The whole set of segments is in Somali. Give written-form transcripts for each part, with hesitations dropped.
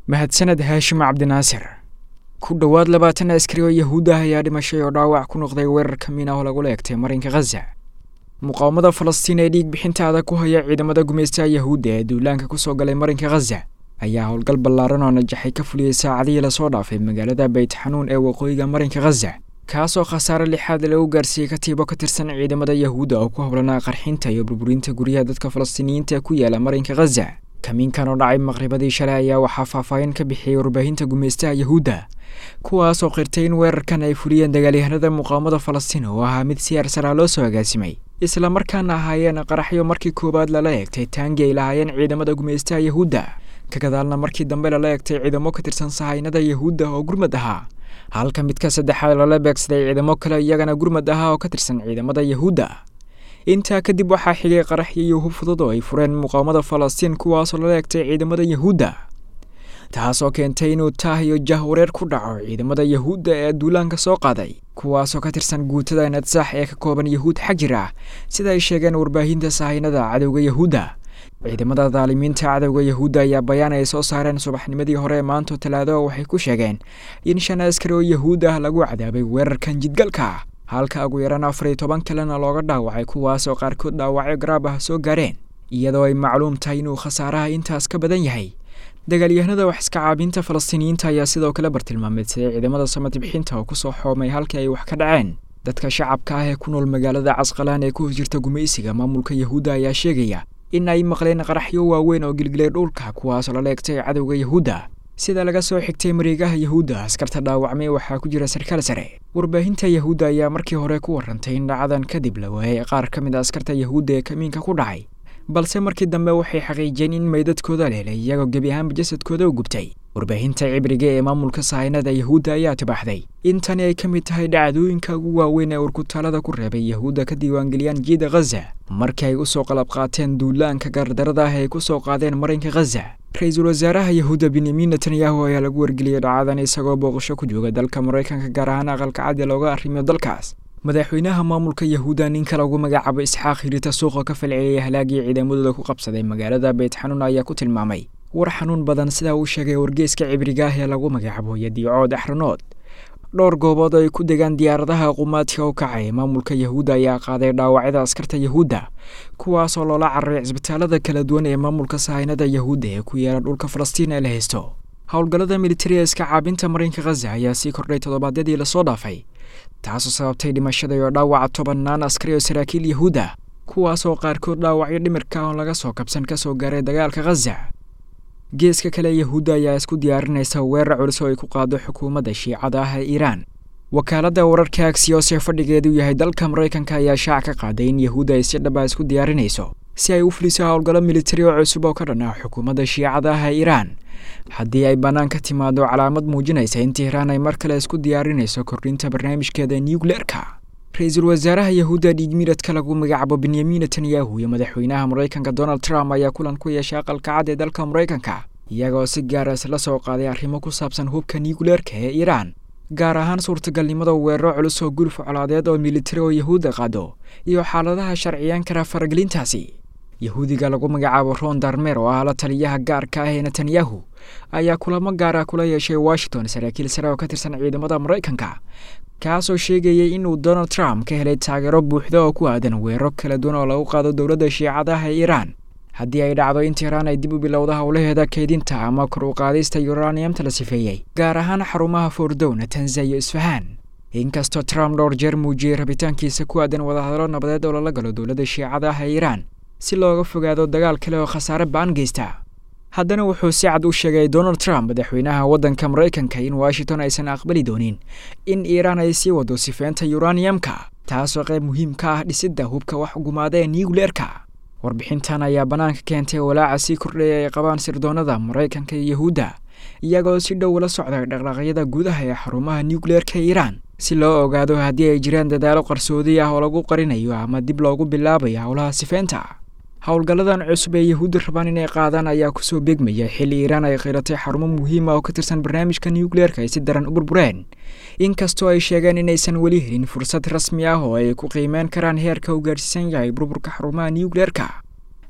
Mahadsaned Haashim Cabdinaasir. Ku dhowaad 20 askari oo Yahuud ah ayaa dhimashay oo dhaawac ku noqday weerarka miina oo lagula eegtay marinka Khaza. Muqaawamada Falastiin ee dhiig bixinta adag ku haya ciidamada gumaystaha Yahuudda ee duulaanka kusoo galay marinka Khaza ayaa howlgal ballaaran oo najaxay ka fuliyey saacadihii lasoo dhaafay magaalada Beyt Xanuun ee waqooyiga marinka Khaza, kaasoo khasaare lixaad lagu gaarsiiyey katiibo ka tirsan ciidamada Yahuudda oo ku howlanaa qarxinta iyo burburinta guryaha dadka Falastiiniyiinta ee ku yaala marinka Khaza. Kamiinkan oo dhacay maqribadii shalay ayaa waxaa faahfaahin ka bixiyey warbaahinta gumaystaha Yahuudda, kuwaasoo qirtay in weerarkan ay fuliyeen dagaalyahanada muqaawamada Falastiin oo ahaa mid si arsaraa loo soo agaasimay, islamarkaana ahaayeen qaraxyo markii koowaad lala eegtay taangi ay lahaayeen ciidamada gumaystaha Yahuudda, ka gadaalna markii dambe lala eegtay ciidamo ka tirsan sahaynada Yahuudda oo gurmad ahaa, halka midka saddexaad lala beegsaday ciidamo kale iyagana gurmad ahaa oo ka tirsan ciidamada Yahuudda. Intaa kadib waxaa xigay qaraxyo iyo hub fudud oo ay fureen muqaawamada Falastiin, kuwaasoo lala eegtay ciidamada Yahuudda, taasoo keentay inuu taah iyo jahwareer ku dhaco ciidamada Yahuudda ee duulaanka soo qaaday, kuwaasoo ka tirsan guutada Nadsax ee ka kooban Yahuud xagjir ah, sida ay sheegeen warbaahinta sahaynada cadowga Yahuudda. Ciidamada daalimiinta cadowga Yahuudda ayaa bayaan ay soo saareen subaxnimadii hore ee maanta Talaado waxay ku sheegeen in 5 askari oo Yahuud ah lagu cadaabay weerarkan jidgalka, halka ugu yaraan 14 kalena looga dhaawacay, kuwaasoo qaarkood dhaawacyo garaab ah soo gaareen, iyadoo ay macluum tahay inuu khasaaraha intaas ka badan yahay. Dagaalyahanada wax iska caabinta Falastiiniyiinta ayaa sidoo kale bartilmaameedsaday ciidamada samad bixinta oo kusoo xoomay halkii ay wax ka dhaceen. Dadka shacabka ah ee ku nool magaalada Casqalaan ee ku hos jirta gumaysiga maamulka Yahuudda ayaa sheegaya in ay maqleen qaraxyo waaweyn oo gilgilay dhulka, kuwaasoo lala eegtay cadowga Yahuudda. Sida laga soo xigtay mareegaha Yahuudda, askarta dhaawacmay waxaa ku jira sarkaal sare. Warbaahinta Yahuudda ayaa markii hore ku warantay in dhacadan kadib la waayay qaar ka mid a askarta Yahuudda ee kamiinka ku dhacay, balse markii dambe waxay xaqiijiyeen in meydadkooda la helay iyagoo gebi ahaanba jasadkooda u gubtay. Warbaahinta Cibriga ee maamulka sahaynada Yahuudda ayaa tibaaxday in tani ay ka mid tahay dhacdooyinka ugu waaweyn ee urkutaalada ku reebay Yahuudda ka diiwaangeliyaan jiida Khaza markii ay usoo qalab qaateen duulaanka gardarada ah ay kusoo qaadeen marinka Khaza. Ra-iisul wasaaraha Yahuudda Benyamin Netanyahu ayaa lagu wargeliyey dhacadan isagoo booqasho ku jooga dalka Maraykanka, gaar ahaan aqalka cad ee looga arrimiyo dalkaas. Madaxweynaha maamulka Yahuudda ninka lagu magacaabo Isxaaq Hirita suuqa ka falceliyay halaagii ciidamadooda ku qabsaday magaalada Beyt Xanuun ayaa ku tilmaamay war xanuun badan, sidaa uu sheegay wargeyska Cibriga ah ee lagu magacaabo Yadiicood Axranood. Dhowr goobood oo ay ku degaan diyaaradaha qumaadka u kacay maamulka Yahuudda ayaa qaaday dhaawacyada askarta Yahuudda, kuwaasoo loola cararay cisbitaalada kala duwan ee maamulka sahaynada Yahuudda ee ku yaala dhulka Falastiin ee la haysto. Howlgallada militariga iska caabinta marinka Khaza ayaa sii kordhay toddobaadyadii lasoo dhaafay, taasoo sababtay dhimashada iyo dhaawaca tobannaan askari oo saraakiil Yahuudda, kuwaasoo qaarkood dhaawacyo dhimirka oon laga soo kabsan kasoo gaaray dagaalka Khaza. Geeska kale, Yahuudda ayaa isku diyaarinaysa weerar culus oo ay ku qaado xukuumadda Shiicada ah ee Iiraan. Wakaaladda wararka Axios ee fadhigeedu yahay dalka Maraykanka ayaa shaac ka qaaday in Yahuudda ay si dhaba isku diyaarinayso si ay u fuliso howlgallo militari oo cusub oo ka dhan ah xukuumadda Shiicada ah ee Iiraan, haddii ay bannaan ka timaado calaamad muujinaysa in Tihraan ay mar kale isku diyaarinayso kordhinta barnaamijkeeda nucleerka. Ra-iisul wasaaraha Yahuudda dhiigmiradka lagu magacaabo Benyamin Netanyahu iyo madaxweynaha Maraykanka Donald Trump ayaa kulan ku yeeshay aqalka cad ee dalka Maraykanka, iyagoo si gaara isla soo qaaday arrimo ku saabsan hubka nucleerka ee Iiraan, gaar ahaan suurtagalnimada weeraro culus oo guluf colaadeed oo militari oo Yahuudda qaado iyo xaaladaha sharciyan kara faragelintaasi. Yahuudiga lagu magacaabo Ron Darmer oo ah la taliyaha gaarka ah ee Netanyahu ayaa kulamo gaara kula yeeshay Washington saraakiil sare oo ka tirsan ciidamada Maraykanka, kaasoo sheegayay inuu Donald Trump ka helay taageero buuxda oo ku aadan weeraro kala duwan oo lagu qaado dowladda Shiicadaha ee Iiraan haddii ay dhacdo in Tihraan ay dib u bilowda howlaheeda kaydinta ama kor u qaadista uraniumta la sifeeyey, gaar ahaan xarumaha Fordow, Natanza iyo Isfahaan. Inkastoo Trump dhowr jeer muujiyey rabitaankiisa ku aadan wadahadallo nabadeed oo lala galo dowladda Shiicada ah ee Iiraan si looga fogaado dagaal kale oo khasaare ba'an geysta, haddana wuxuu si cad u sheegay Donald Trump, madaxweynaha waddanka Maraykanka, in Washington aysan aqbali doonin in Iiraan ay sii wado sifeynta uraniumka, taasoo qayb muhiim ka ah dhisidda hubka wax gumaada ee nucleerka. Warbixintan ayaa bannaanka keentay walaaca sii kordhaya ay qabaan sirdoonada Maraykanka iyo Yahuudda, iyagoo si dhow la socda dhaqdhaqaaqyada gudaha ee xarumaha nucleerka Iiraan si loo ogaado haddii ay jiraan dadaalo qarsoodi ah oo lagu qarinayo ama dib loogu bilaabayo howlaha sifeynta. Howlgalladan cusub ee Yahuudda rabaan inay qaadaan ayaa kusoo beegmaya xilli Iiraan ay qiratay xarumo muhiim ah oo ka tirsan barnaamijka nucleerka ay si daran u burbureen, inkastoo ay sheegeen inaysan weli helin fursad rasmi ah oo ay ku qiimeyn karaan heerka uu gaarsiisan yahay burburka xarumaha nucleerka.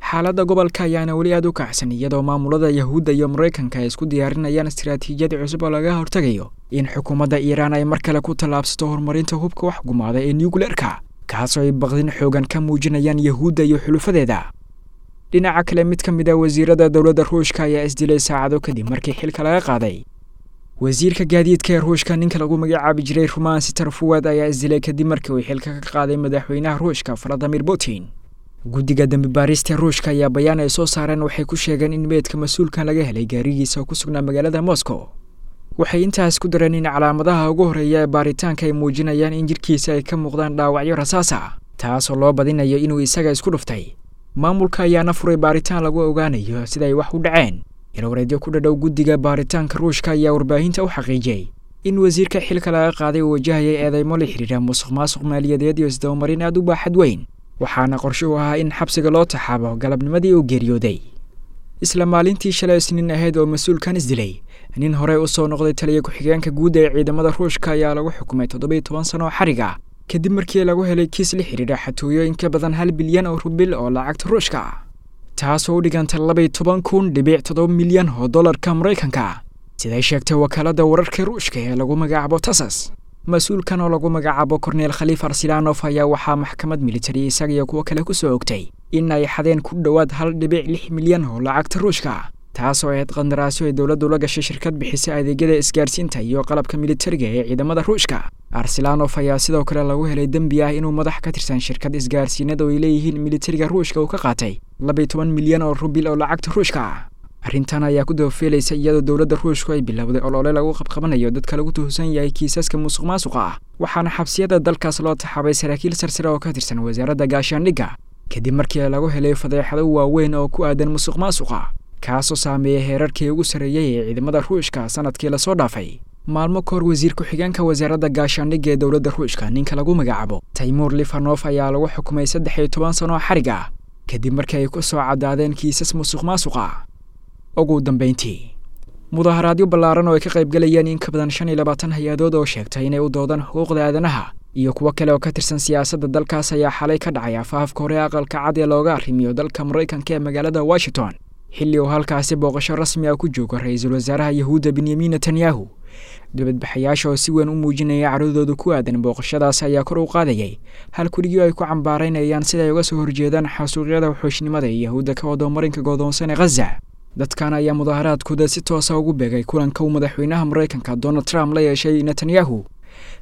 Xaaladda gobolka ayaana weli aad u kacsan, iyadoo maamulada Yahuudda iyo Maraykanka ay isku diyaarinayaan istiraatiijiyad cusub oo laga hortagayo in xukuumadda Iiraan ay mar kale ku tallaabsato horumarinta hubka wax gumaada ee nucleerka, kaasoo ay baqdin xoogan ka muujinayaan Yahuudda iyo xulufadeeda. Dhinaca kale, mid ka mid ah wasiirada dowladda Ruushka ayaa isdilay saacado kadib markii xilka laga qaaday. Wasiirka gaadiidka ee Ruushka, ninka lagu magacaabi jiray Rumaan Sitarfuwad, ayaa isdilay kadib markii uu xilka ka qaaday madaxweynaha Ruushka Valadimir Putin. Guddiga dembi baarista Ruushka ayaa bayaan ay soo saareen waxay ku sheegeen in meydka mas-uulkan laga helay gaarigiisa oo ku sugnaa magaalada Moscow. Waxay intaas ku dareen in calaamadaha ugu horreeya ee baaritaanka ay muujinayaan in jirkiisa ay ka muuqdaan dhaawacyo rasaas ah, taasoo loo badinayo inuu isaga isku dhuftay. Maamulka ayaana furay baaritaan lagu ogaanayo sida ay wax u dhaceen. Ilwareedyo ku dhadhow guddiga baaritaanka Ruushka ayaa warbaahinta u xaqiijiyey in wasiirka xilka laga qaaday uu wajahayay eedeymo la xidhiidha musuq maasuq maaliyadeed iyo isdabamarin aad u baaxad weyn, waxaana qorshe u ahaa in xabsiga loo taxaabo galabnimadii uu geeriyooday. Isla maalintii shalay Isniin ahayd oo mas-uulkan isdilay, nin horey u soo noqday taliya ku-xigeenka guud ee ciidamada Ruushka ayaa lagu xukumay 17 sano oo xarig ah kadib markii lagu helay kiis la xidhiidha xatooyo in ka badan 1 bilyan oo rubil oo lacagta Ruushka ah, taasoo u dhiganta 12,000.7 milyan oo dollarka Maraykanka, siday sheegtay wakaaladda wararka Ruushka ee lagu magacaabo Tasas. Mas-uulkan oo lagu magacaabo Korneel Khaliif Arsilanof ayaa waxaa maxkamad militari isaga iyo kuwo kale ku soo ogtay in ay xadeen ku dhowaad 1.6 milyan oo lacagta Ruushka, taasoo ahayd qandaraasyo ay dowladdu la gashay shirkad bixisa adeegyada isgaarsiinta iyo qalabka militariga ee ciidamada Ruushka. Arsilanof ayaa sidoo kale lagu helay dembi ah inuu madax ka tirsan shirkad isgaarsiinada oo ay leeyihiin militariga Ruushka uu ka qaatay 12 milyan oo rubil oo lacagta Ruushka ah. Arrintan ayaa ku dabafiilaysa iyadoo dowladda Ruushku ay bilowday olole lagu qabqabanayo dadka lagu tuhsan yahay kiisaska musuq maasuqa ah, waxaana xabsiyada dalkaas loo taxaabay saraakiil sarsare oo ka tirsan wasaaradda gaashaandhigga kadib markii lagu helay fadeexado waaweyn oo ku aadan musuq maasuqa, kaasoo saameeyey heerarkii ugu sarreeyey ee ciidamada Ruushka sanadkii lasoo dhaafay. Maalmo kahor, wasiir ku-xigeenka wasaaradda gaashaandhigga ee dowladda Ruushka, ninka lagu magacaabo Taymuur Lifanof, ayaa lagu xukumay 13 sano oo xarig ah kadib markii ay ku soo caddaadeen kiisas musuq maasuq ah. Ugu dambeyntii, mudaharaadyo ballaaran oo ay ka qaybgalayeen in ka badan 25 hay-adood oo sheegtay inay u doodaan xuquuqda aadanaha iyo kuwo kale oo ka tirsan siyaasadda dalkaas ayaa xalay ka dhacay afaafka hore aqalka cad ee looga arrimiyo dalka Maraykanka ee magaalada Washington, xilli uu halkaasi booqasho rasmi ah ku joogo ra-iisul wasaaraha Yahuudda Benyamin Netanyahu. Dibadbaxayaasha oo si weyn u muujinaya caradooda ku aadan booqashadaas ayaa kor u qaadayay halkurigii ay ku cambaaraynayaan sida ay uga soo horjeedaan xasuuqyada wuxuushnimada ee Yahuudda ka wado marinka godoonsan ee Ghaza. Dadkan ayaa mudaharaadkooda si toosa ugu beegay kulanka uu madaxweynaha Maraykanka Donald Trump la yeeshay Netanyahu,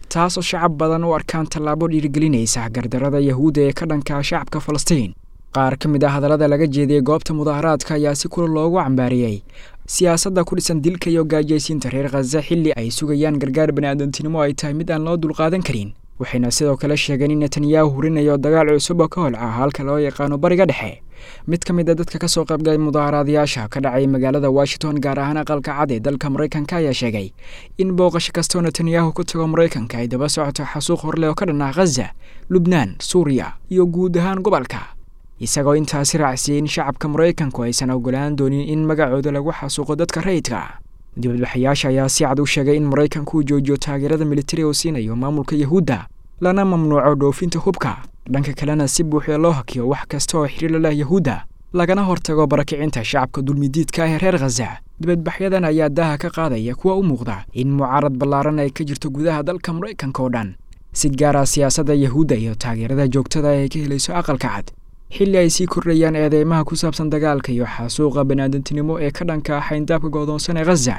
taasoo shacab badan u arkaan tallaabo dhiirigelinaysa gardarada Yahuudda ee ka dhanka shacabka Falastiin. Qaar ka mid ah hadallada laga jeediyey goobta mudaharaadka ayaa si kulul loogu cambaariyey siyaasadda ku dhisan dilka iyo gaajaysiinta reer Khaza xilli ay sugayaan gargaar baniaadantinimo ay tahay mid aan loo dulqaadan karin. Waxayna sidoo kale sheegeen in Netanyahu hurinayo dagaal cusub oo ka holca halka loo yaqaano Bariga Dhexe. Mid ka mid a dadka ka soo qaybgalay mudaharaadayaasha ka dhacay magaalada Washington, gaar ahaan aqalka cad ee dalka Maraykanka, ayaa sheegay in booqasho kastoo Netanyahu ku tago Maraykanka ay daba socoto xasuuq horleh oo ka dhan ah Ghaza, Lubnaan, Suuriya iyo guud ahaan gobolka, isagoo intaasi raacsiiyey in shacabka Maraykanku aysan ogolaan doonin in magacooda lagu xasuuqo dadka rayidka. Dibadbaxayaasha ayaa si cad u sheegay in Maraykanku uu joojiyo taageerada militari oo siinayo maamulka Yahuudda, lana mamnuuco dhoofinta hubka, dhanka kalena si buuxda loo hakiyo wax kasta oo xiriir la leh Yahuudda, lagana hortago barakicinta shacabka dulmidiidka ah ee reer Khaza. Dibadbaxyadan ayaa daaha ka qaadaya kuwa u muuqda in mucaarad ballaaran ay ka jirto gudaha dalka Maraykanka oo dhan, si gaar ah siyaasadda Yahuudda iyo taageerada joogtada ay ka helayso aqalka cad, xilli ay sii kordhayaan eedeymaha ku saabsan dagaalka iyo xasuuqa baniaadantinimo ee ka dhanka ah xayndaabka godoonsan ee Ghaza.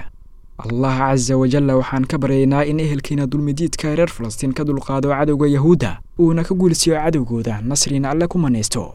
Allah casa wajalla waxaan ka baryaynaa in ehelkiina dulmidiidka reer Falastiin ka dulqaado cadowga Yahuudda, uuna ka guulsiiyo cadowgooda, nasrina Alle ku manaysto.